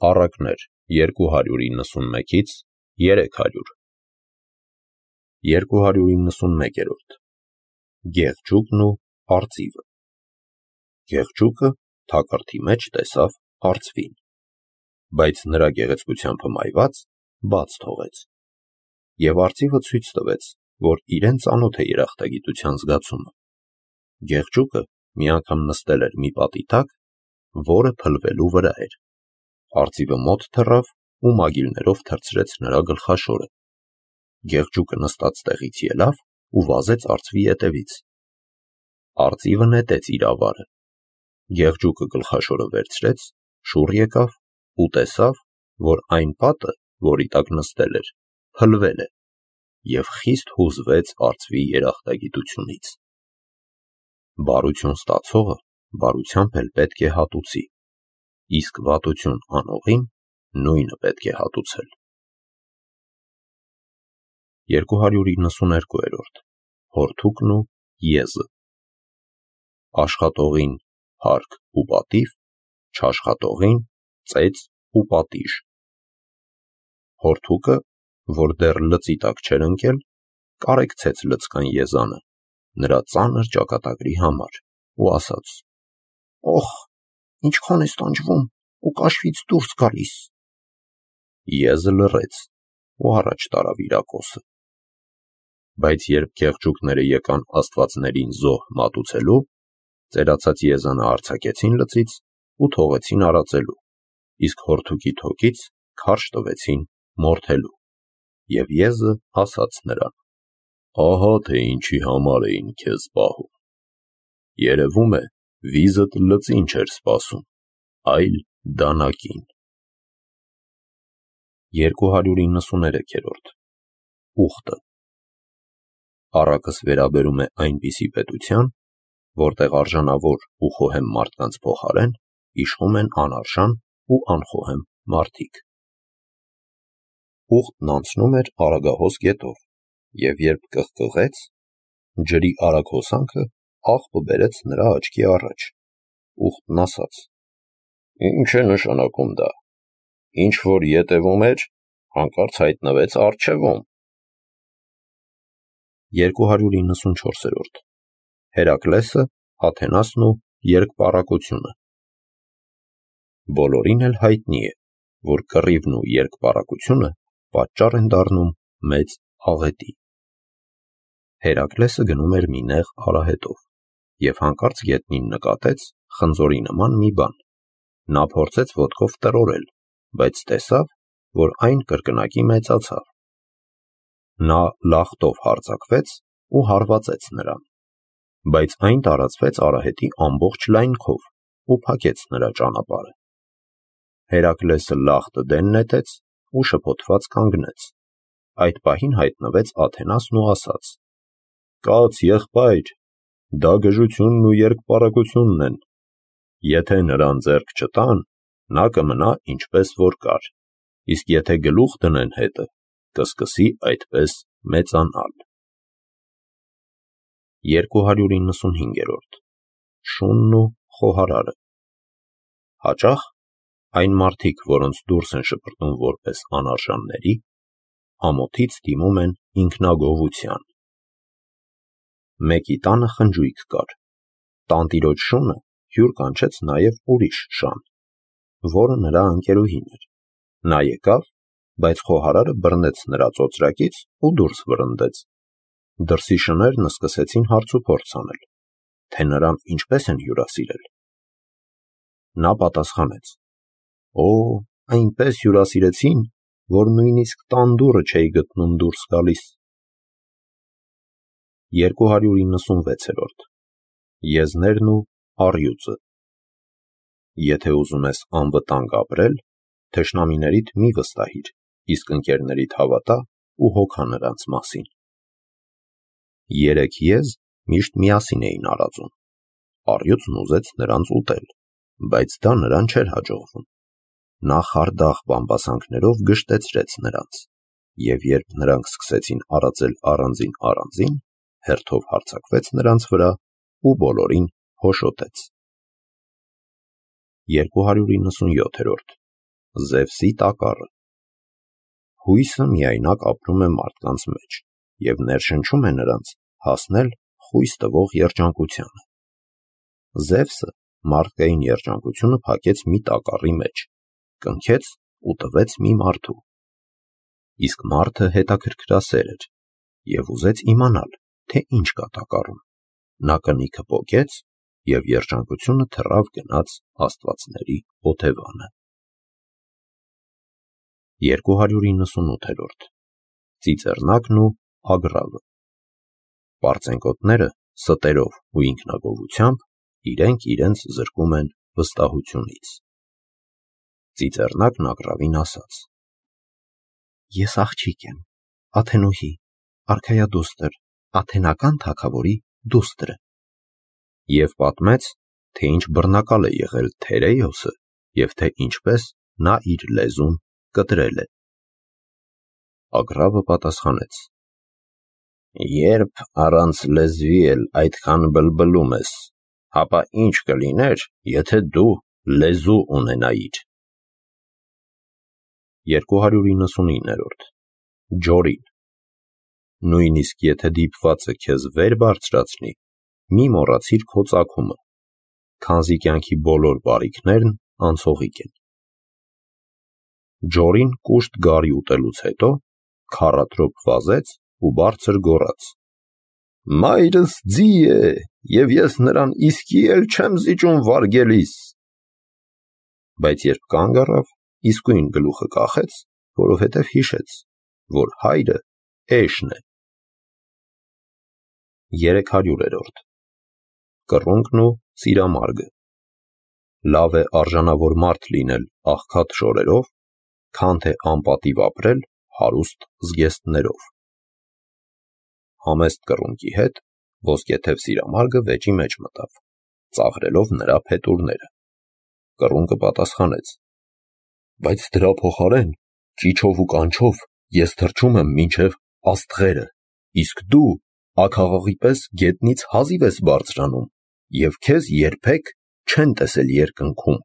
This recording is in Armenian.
Առակներ 291-ից 300 291-րդ Գեղջուկն ու արծիվը։ Գեղջուկը թակարդի մեջ տեսավ արծվին, բայց նրա գեղեցկությամբ հմայված բաց թողեց, և արծիվը ցույց տվեց, որ իրեն ծանոթ է երախտագիտության զգացումը։ Գեղջուկը մի անգամ նստել էր մի պատի տակ, որը փլվելու վրա էր։ Արծիվը մոտ թռավ ու մագիլներով թռցրեց նրա գլխաշորը։ Գեղջուկը նստած տեղից ելավ ու վազեց արծվի ետևից։ Արծիվը նետեց իր ավարը։ Գեղջուկը գլխաշորը վերցրեց, շուռ եկավ ու տեսավ, որ այն պատը, որի տակ նստել էր, փլվել է, և խիստ հուզվեց արծվի երախտագիտությունից։ Բարություն ստացողը բարությամբ էլ պետք է հատուցի, իսկ վատություն անողին նույնը պետք է հատուցել։ 292-րդ Հորթուկն ու եզը։ Աշխատողին հարկ ու պատիվ, չաշխատողին ծեծ ու պատիժ։ Հորթուկը, որ դեռ լծի տակ չէր ընկել, կարեկցեց լցկան եզանը նրա ծանր ճակատագրի համար ու ասաց. «Օխ, ինչքան ես տանջվում ու կաշվից դուրս գալիս»։ Եզը լռեց ու առաջ տարավ իր ակոսը։ Բայց երբ գեղջուկները եկան աստվածներին զոհ մատուցելու, ծերացած եզանը արձակեցին լծից ու թողեցին արածելու, իսկ հորթուկի թոքից քարշ տվեցին մորթելու։ Եվ եզը ասաց նրան. «Ահա թե ինչի համար էին քեզ պահում։ Երևում է, վիզդ լծին չէր սպասում, այլ դանակին»։ 293-րդ Ուխտը։ Առակս վերաբերում է այնպիսի պետության, որտեղ արժանավոր ու խոհեմ մարդկանց փոխարեն իշխում են անարժան ու անխոհեմ մարդիկ։ Ուխտն անցնում էր Արագահոս գետով, և երբ կղկղեց, ջրի արագ հոսանքը աղբը բերեց նրա աչքի առաջ։ Ուխտն ասաց. «Ի՞նչ է նշանակում դա. ինչ որ ետևում էր, հանկարծ հայտնվեց առջևում»։ 294-րդ Հերակլեսը, Աթենասն ու երկպառակությունը։ Բոլորին էլ հայտնի է, որ կռիվն ու երկպառակությունը պատճառ են դառնում մեծ աղետի։ Հերակլեսը գնում էր մի նեղ արահետով և հանկարծ գետնին նկատեց խնձորի նման մի բան։ Նա փորձեց ոտքով տրորել, բայց տեսավ, որ այն կրկնակի մեծացավ։ Նա լախտով հարձակվեց ու հարվածեց նրան, բայց այն տարածվեց արահետի ամբողջ լայնքով ու փակեց նրա ճանապարհը։ Հերակլեսը լախտը դեն նետեց ու շփոթված կանգնեց։ Այդ պահին հայտնվեց Աթենասն ու ասաց. «Կաց եղբայր, դա գժությունն ու երկպառակությունն են։ Եթե նրան ձեռք չտան, նա կմնա ինչպես որ կար, իսկ եթե գլուխ դնեն հետը, կսկսի այդպես մեծանալ»։ 295-րդ Շունն ու խոհարարը։ Հաճախ այն մարդիկ, որոնց դուրս են շպրտում որպես անարժանների, ամոթից դիմում են ինքնագոհության։ Մեկի տանը խնջույք կար։ Տանտիրոջ շունը հյուր կանչեց նաև ուրիշ շան, որը նրա ընկերուհին էր։ Նա եկավ, բայց խոհարարը բռնեց նրա ծոծրակից ու դուրս վռնդեց։ Դրսի շներն սկսեցին հարցուփորձ անել, թե նրան ինչպես են հյուրասիրել։ Նա պատասխանեց. «Օ, այնպես հյուրասիրեցին, որ նույնիսկ տան դուռը չէի գտնում դուրս գալիս»։ 296-րդ Եզներն ու առյուծը։ Եթե ուզում ես անվտանգ ապրել, թշնամիներիդ մի վստահիր, իսկ ընկերներիդ հավատա ու հոգա նրանց մասին։ 3 եզ միշտ միասին էին արածում։ Առյուծն ուզեց նրանց ուտել, բայց դա նրան չէր հաջողվում։ Նա խարդախ բամբասանքներով գժտեցրեց նրանց, և երբ նրանք սկսեցին արածել առանձին, հերթով հարձակվեց նրանց վրա ու բոլորին հոշոտեց։ 297-րդ Զևսի տակառը։ Հույսը միայնակ ապրում է մարդկանց մեջ և ներշնչում է նրանց հասնել խույս տվող երջանկությանը։ Զևսը մարդկային երջանկությունը փակեց մի տակառի մեջ, կնքեց ու տվեց մի մարդու։ Իսկ մարդը հետաքրքրասեր էր և ուզեց իմանալ, թե ինչ կա տակառում։ Նա կնիքը պոկեց և երջանկությունը թռավ գնաց աստվածների օթևանը։ 298-րդ Ծիծեռնակն ու ագռավը։ Պարծենկոտները ստերով ու ինքնագոհությամբ իրենք իրենց զրկում են վստահությունից։ Ծիծեռնակն ագռավին ասաց. Ես աղջիկ եմ, Աթենուհի, արքայադուստր, աթենական թագավորի դուստրը։ Եվ պատմեց, թե ինչ բռնակալ է եղել Թերեյոսը և թե ինչպես նա իր լեզուն կտրել է։ Ագռավը պատասխանեց. Երբ առանց լեզվի էլ այդքան բլբլում ես, ապա ինչ կլիներ, եթե դու լեզու ունենայիր։ 299-րդ Ջորին։ Նույնիսկ եթե դիպվածը քեզ վեր բարձրացնի, մի մոռացիր քո ծագումը, քանզի կյանքի բոլոր բարիքներն անցողիկ են։ Ջորին կուշտ գարի ուտելուց հետո քառատրոփ վազեց ու բարձր գոռաց. Մայրս ձի է, և ես նրան իսկի էլ չեմ զիջում վարգելիս։ Բայց երբ կանգ առավ, իսկույն գլուխը կախեց, որովհետև հիշեց, որ հայրը էշն է։ 300-րդ Կռունկն ու սիրամարգը։ Լավ է արժանավոր մարդ լինել աղքատ շորերով, քան թե անպատիվ ապրել հարուստ զգեստներով։ Համեստ կռունկի հետ ոսկեթև սիրամարգը վեճի մեջ մտավ, ծաղրելով նրա փետուրները։ Կռունկը պատասխանեց. Բայց դրա փոխարեն ճիչով ու կանչով ես թռչում եմ մինչև աստղերը, իսկ դու աքաղաղի պես գետնից հազիվ ես բարձրանում, և քեզ երբեք չեն տեսել երկնքում։